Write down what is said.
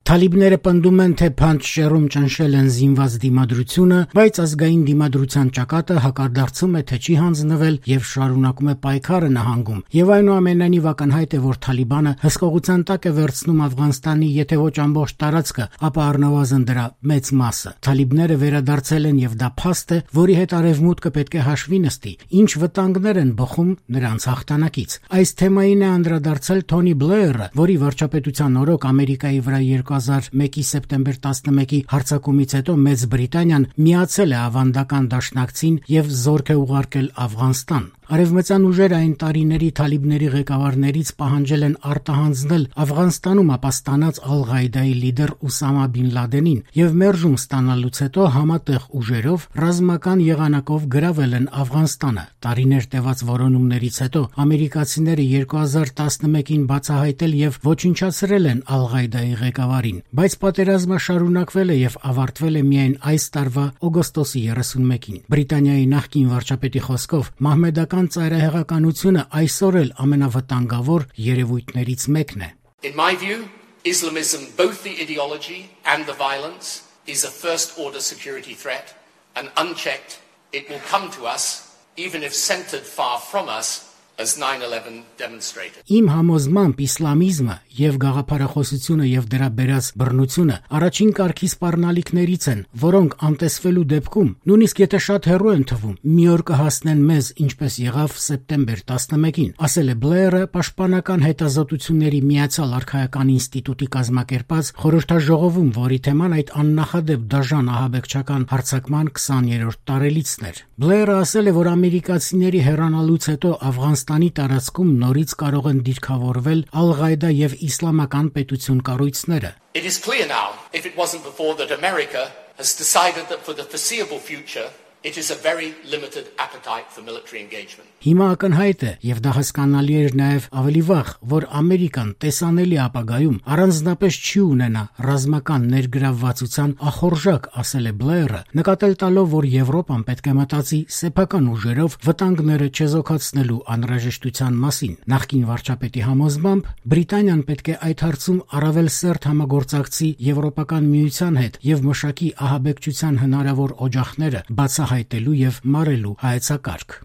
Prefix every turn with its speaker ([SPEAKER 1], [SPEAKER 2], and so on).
[SPEAKER 1] Թալիբները պնդում են, թե Փանջշերում ճնշել են զինված դիմադրությունը, բայց ազգային դիմադրության ճակատը հակադարձում է, թե չի հանձնվել եւ շարունակում է պայքարը նահանգում։ Եվ այնուամենայնիվ ակնհայտ է, որ Թալիբանը հսկողության տակ է վերցնում Աֆղանստանի եթե ոչ ամբողջ տարածքը, ապա առնվազն դրա մեծ մասը։ Թալիբները վերադարձել են եւ դա փաստ է, որի հետ արևմուտքը պետք է հաշվի նստի, ինչ վտանգներ են բխում նրանց հաղթանակից։ Այս թեմային է անդրադարձել Թոնի Բլեերը, որի վարչապետության օրոք Ամերիկայի վրա 2001-ի սեպտեմբեր 11-ի հարձակումից հետո Մեծ Բրիտանիան միացել է ավանդական դաշնակցին եւ զորք է ուղարկել Աֆղանստան։ Արևմտյան ուժերը այն տարիների թալիբների ղեկավարներից պահանջել են արտահանձնել Աֆղանստանում ապաստանած Ալ-Ղաիդայի լիդեր Ուսամա Բին Լադենին եւ մերժում ստանալուց հետո համատեղ ուժերով ռազմական եղանակով գրավել են Աֆղանստանը։ Տարիներ տևած որոնումներից հետո ամերիկացիները 2011-ին բացահայտել եւ ոչնչացրել են Ալ-Ղաիդայի ղեկավարին, բայց պատերազմը շարունակվել է եւ ավարտվել է միայն այս տարվա օգոստոսի 31-ին։ Բրիտանիայի նախկին վարչապետի խոսքով Մահմեդական ծայրահեղականությունը այսօր էլ ամենավտանգավոր երևույթներից մեկն է։
[SPEAKER 2] In my view, Islamism, both the ideology and the violence, is a first-order security threat, and unchecked, it will come to us, even if centered far from us, as 9/11 demonstrated.
[SPEAKER 1] Իմ համոզմամբ իսլամիզմը եւ գաղափարախոսությունը եւ դրա բերած բռնությունը առաջին կարգի սպառնալիքներից են, որոնք անտեսվելու դեպքում, նույնիսկ եթե շատ հեռու են թվում, մի օր կհասնեն մեզ, ինչպես եղավ սեպտեմբեր 11-ին, ասել է Բլեերը պաշտպանական հետազոտությունների Միացյալ Արքայական ինստիտուտի կազմակերպած խորհրդաժողովում, որի թեման այդ աննախադեպ դաժան ահաբեկչական հարձակման 20-րդ տարելիցն էր։ Բլեերը ասել է, որ ամերիկացիների հեռանալուց հետո Աֆղանստանի տարածքում նորից կարող են դիրքավորվել Ալ-Ղաիդա եւ իսլամական պետություն կառույցները։
[SPEAKER 2] It is clear now, if it wasn't before, that America has decided that for the foreseeable future it is a very limited appetite for military engagement.
[SPEAKER 1] Հիմա ակնհայտ է, եւ դա հասկանալի էր նաեւ ավելի վաղ, որ Ամերիկան տեսանելի ապագայում առանձնապես չի ունենա ռազմական ներգրավվածության ախորժակ, ասել է Բլեերը, նկատել տալով, որ Եվրոպան պետք է մտածի սեփական ուժերով վտանգները չեզոքացնելու անհրաժեշտության մասին։ Նախկին վարչապետի համոզմամբ Բրիտանիան պետք է այդ հարցում առավել սերտ համագործակցի Եվրոպական միության հետ եւ մշակի ահաբեկչության հնարավոր օջախները բացահայտելու եւ մարելու հայեցակարգ։